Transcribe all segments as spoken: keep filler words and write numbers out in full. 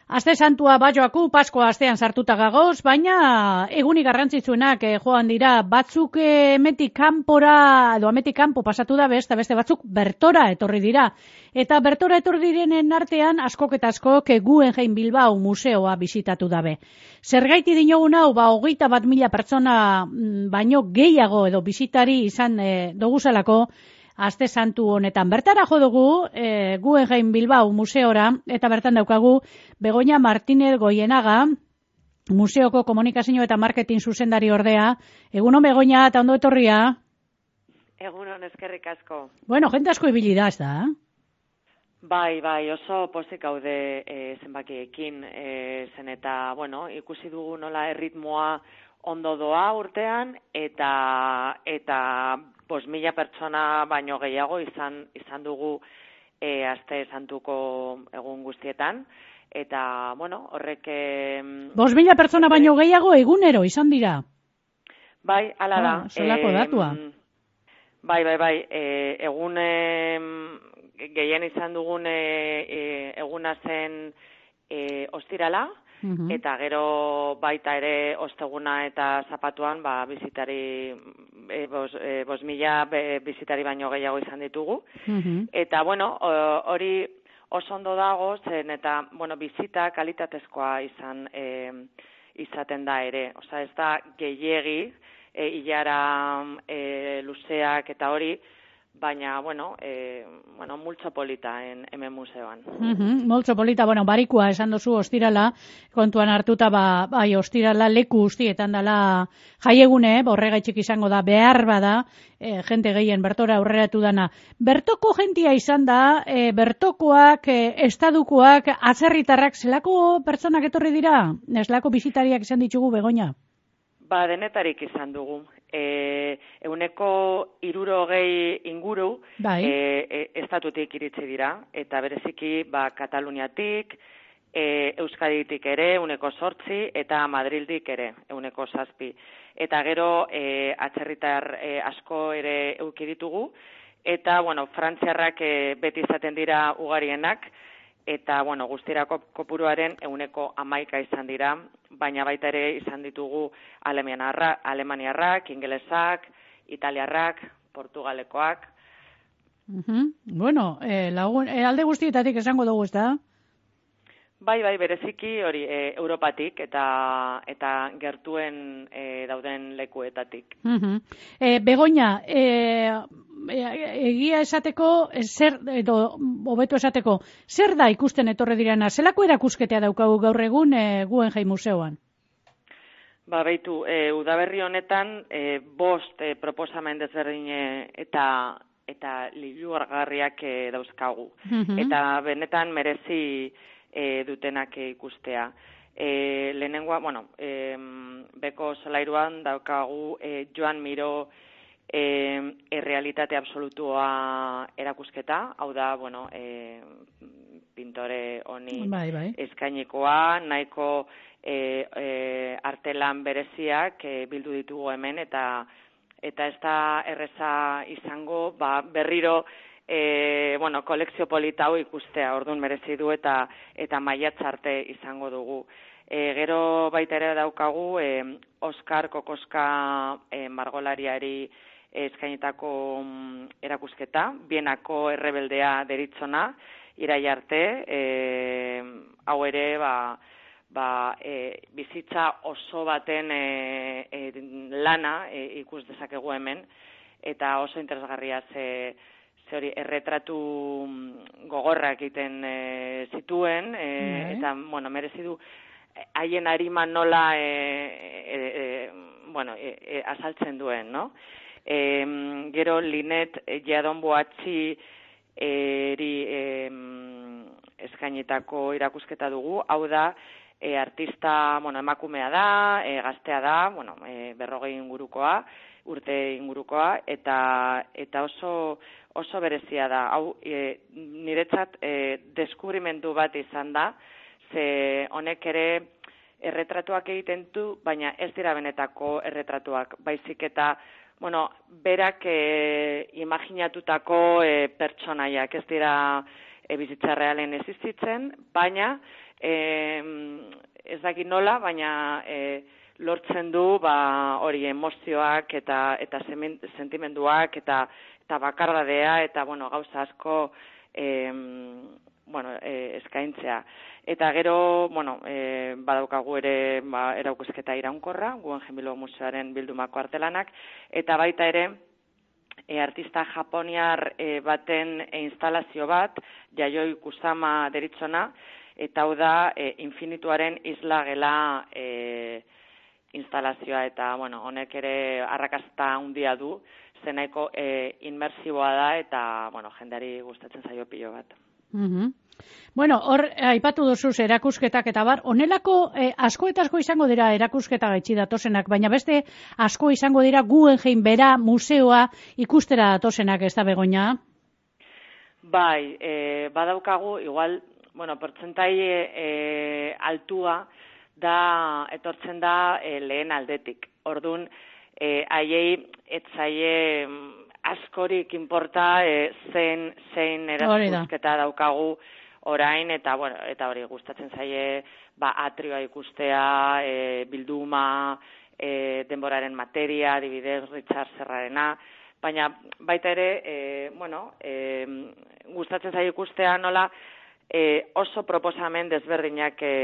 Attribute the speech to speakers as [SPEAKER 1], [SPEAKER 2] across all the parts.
[SPEAKER 1] Aste santua bajoaku, Paskoa astean sartuta gagoz, baina egunik garrantzitsuenak eh, joan dira, batzuk eh, emetik kanpora, edo emetik kanpo pasatu da beste, beste batzuk bertora etorri dira. Eta bertora etorri direnen artean, askok eta askok eh, Guggenheim Bilbao museoa bisitatu dabe. Zergaiti dinogun hau, ba, hogeita bat mila pertsona mm, baino gehiago edo bisitari izan eh, doguzalako, Aste santu honetan. Bertara jo dugu, e, Guggenheim Bilbao museora, eta bertan daukagu Begoña Martínez Goienaga, museoko komunikazio eta marketing zuzendari ordea. Egunon Begoña, eta ondo etorria?
[SPEAKER 2] Egunon, eskerrik asko.
[SPEAKER 1] Bueno, jente asko ibili da, ez da?
[SPEAKER 2] Bai, bai, oso pozik gaude e, zenbakiekin, e, zen eta, bueno, ikusi dugu nola erritmoa ondo doa urtean, eta eta Bos mila pertsona baino gehiago izan izan dugu e, aste santuko egun guztietan, eta, bueno, horrek... E,
[SPEAKER 1] Bos mila pertsona baino gehiago egunero izan dira?
[SPEAKER 2] Bai, ala da.
[SPEAKER 1] Ah, zelako datua.
[SPEAKER 2] E, bai, bai, bai, e, egun e, gehien izan dugun e, e, eguna zen e, ostirala, Uh-huh. Eta gero baita ere osteguna eta zapatuan ba, bizitari, e, bos, e, bos mila be, bizitari baino gehiago izan ditugu. Uh-huh. Eta, bueno, hori oso ondo dago, zen eta, bueno, bizita kalitatezkoa izan e, izaten da ere. Osa, ez da gehiegi, e, hilara e, luzeak eta hori, baina, bueno, e, bueno, multzo polita en, hemen museoan.
[SPEAKER 1] Uh-huh, multzo polita, bueno, barikua esan dozu ostirala, kontuan hartuta, ba, bai, ostirala leku guztietan dala jaiegune, borregaitxik izango da, behar bada, e, jente gehien bertora aurreratu dana. Bertoko jentia izan da, e, bertokoak, e, estadukoak, atzerritarrak, zelako pertsonak etorri dira? Zelako bisitariak izan ditugu, Begoña?
[SPEAKER 2] Ba, denetarik izan dugu. E, euneko hirurogei inguru bai. e, e, estatutik iritsi dira, eta bereziki ba, Kataluniatik, e, Euskaditik ere, euneko sortzi, eta Madrildik ere, euneko zazpi. Eta gero e, atzerritar e, asko ere euki ditugu, eta bueno, frantziarrak e, beti izaten dira ugarienak, eta, bueno, guztirako kopuruaren euneko hamaika izan dira, baina baita ere izan ditugu alemaniarrak, ingelesak, italiarrak, portugalekoak.
[SPEAKER 1] Uh-huh. Bueno, eh, lagun, eh, alde guztietatik esango dugu, ez da?
[SPEAKER 2] Bai, bai, bereziki hori e, Europatik eta eta gertuen e, dauden lekuetatik.
[SPEAKER 1] Uh-huh. E, Begoña, e, egia esateko, zer, edo hobeto esateko, zer da ikusten etorre direna? Zelako erakusketea daukagu gaur egun e, Guggenheim museoan?
[SPEAKER 2] Ba, beitu, e, udaberri honetan e, bost e, proposamen desberdin eta eta liburugarriak e, dauzkagu. Uh-huh. Eta benetan merezi e, dutenak e, ikustea. E, lehenengoa, bueno, e, beko solairuan daukagu e, Joan Miró E, errealitate absolutua erakusketa, hau da, bueno, e, pintore honi bai, bai. eskainikoa, nahiko e, e, artelan bereziak e, bildu ditugu hemen, eta eta ez da erreza izango, ba, berriro e, bueno, kolekzio polita hau ikustea, orduan merezi du eta eta maiatz arte izango dugu. E, gero baita ere daukagu e, Oskar Kokoska e, margolariari eskainitako um, erakusketa, Bienako errebeldea deritzona, irai arte, e, hau ere, ba, ba, e, bizitza oso baten e, e, lana e, ikus dezakegu hemen, eta oso interesgarria ze, ze hori erretratu gogorrak egiten e, zituen, e, mm-hmm. eta, bueno, merezi du, haien arima nola e, e, e, bueno, e, e, azaltzen duen, no? E, gero Linet Jadon Boatzi eri e, eskainetako irakusketa dugu, hau da, e, artista, bueno, emakumea da, e, gaztea da, bueno, e, berrogei ingurukoa, urte ingurukoa, eta eta oso oso berezia da. Hau, e, niretzat e, deskubrimendu bat izan da, ze honek ere erretratuak egiten du, baina ez dira benetako erretratuak, baizik eta bueno, berak e, imaginatutako e, pertsonaiak, ez dira e, bizitza realen existitzen, baina e, ez dakit nola, baina e, lortzen du ba hori emozioak eta eta sentimenduak eta eta bakardadea eta bueno, gauza asko e, bueno, e, eskaintzea. Eta gero, bueno, e, badaukagu ere ba, erakusketa iraunkorra, Guggenheim Bilbao Museoaren bildumako artelanak, eta baita ere, e, artista japoniar e, baten e, instalazio bat, Yayoi Kusama deritzona, eta hau da, e, infinituaren isla gela e, instalazioa, eta bueno, honek ere arrakasta handia du, zenaiko e, inmersiboa da, eta bueno, jendeari gustatzen zaio pilo bat.
[SPEAKER 1] Mm-hmm. Bueno, hor, aipatu duzuz erakusketak eta bar, honelako eh, asko eta asko izango dira erakusketa gaitxi datozenak, baina beste asko izango dira Guggenheim bera museoa ikustera datozenak, ez da Begoña?
[SPEAKER 2] Bai, e, badaukagu, igual, bueno, portzentai e, altua da, etortzen da e, lehen aldetik. Ordun, e, haiei, etzaie askorik inporta e, zein, zein erakusketa daukagu orain, eta bueno, eta hori gustatzen zaie ba, atrioa ikustea, e, bilduma, e, denboraren materia, adibidez, Richard Serrarena, baina baita ere, e, bueno, e, gustatzen zaie ikustea nola e, oso proposamen desberdinak e,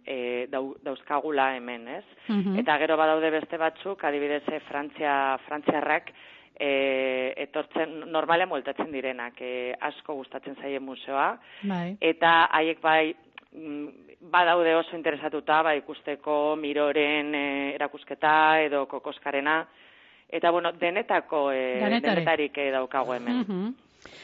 [SPEAKER 2] e, dau, dauzkagula hemen, ez? Mm-hmm. Eta gero badaude beste batzuk, adibidez, e, Frantzia, Frantziarrak, E, etortzen normalean bueltatzen direnak, e, asko gustatzen zaie museoa, bai. Eta haiek bai badaude oso interesatuta ba, ikusteko Miroren e, erakusketa edo Kokoskarena, eta bueno, denetako e, denetarik e, daukago hemen. Mm-hmm.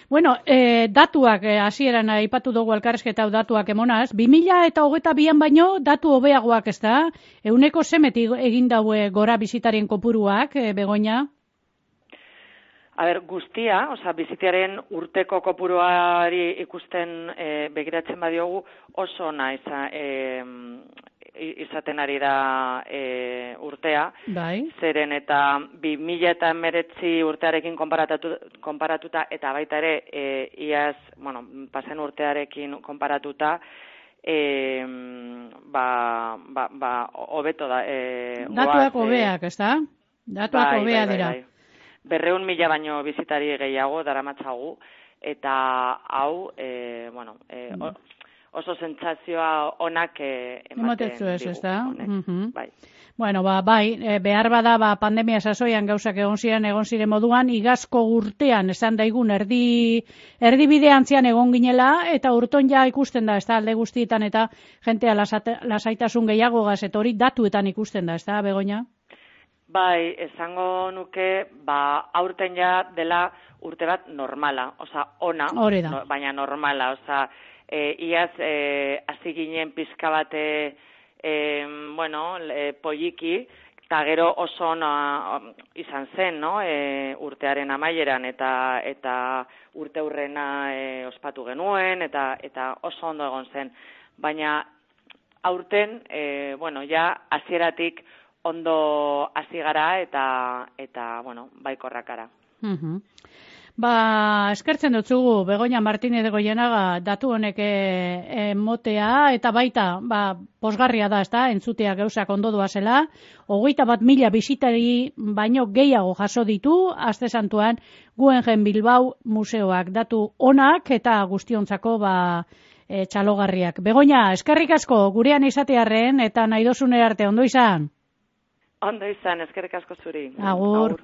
[SPEAKER 1] Bueno, eh, datuak hasieran eh, aipatu dugu elkarrizketa datuak emonaz, bi mila eta hogeita bian baino datu hobeagoak, ez da? Euneko zemetik egin daue gora bisitarien kopuruak, eh, Begoña?
[SPEAKER 2] A ber, guztia, osea, bizitiaren urteko kopuruari ikusten e, begiratzen badiogu oso ona iza, e, izaten ari da e, urtea. Bai. Zeren eta bi mila eta hemeretzi urtearekin konparatuta eta baita ere e, iaz, bueno, pasen urtearekin konparatuta, e, ba, ba, ba, hobeto da. E,
[SPEAKER 1] Datuak hobeak, ez da? Datuak hobea bai, bai, dira. Bai, bai.
[SPEAKER 2] Berreun mila baino bizitari gehiago daramatzagu, eta hau, e, bueno, e, oso sentsazioa onak e, ematen digu.
[SPEAKER 1] Ez da? Mm-hmm.
[SPEAKER 2] Bai.
[SPEAKER 1] Bueno, ba, bai, behar bada, ba, pandemia sasoian gauzak egon ziren, egon ziren moduan, igazko urtean, esan daigun, erdi, erdi bideantzian egon ginela, eta urton ja ikusten da, ez da, alde guztietan, eta jentea lasate, lasaitasun gehiago gaz, eta hori datuetan ikusten da, ez da, Begoña?
[SPEAKER 2] Bai, esango nuke, ba, aurten ja dela urte bat normala, oza, ona, no, baina normala, oza, e, iaz, e, hasi ginen pizka bate, e, bueno, e, poliki, eta gero oso ona izan zen, no, e, urtearen amaieran, eta eta urte hurrena e, ospatu genuen, eta eta oso ondo egon zen, baina aurten, e, bueno, ja, hasieratik ondo hasi gara eta eta bueno, baikorrakara.
[SPEAKER 1] Mhm. Ba, eskertzen dutzugu Begoña Martínez de Goienaga datu honek emotea eta baita, ba, posgarria da, ezta, entzutea gauzak ondo doazela. Hogeita bat mila bisitari baino gehiago jaso ditu aste santuan Guggenheim Bilbao museoak, datu onak eta guztiontzako ba e, txalogarriak. Begoña, eskerrik asko gurean izatearren eta nahi dozunera arte ondo izan.
[SPEAKER 2] Ondo izan, eskerrik asko zuri.
[SPEAKER 1] Agur. Agur.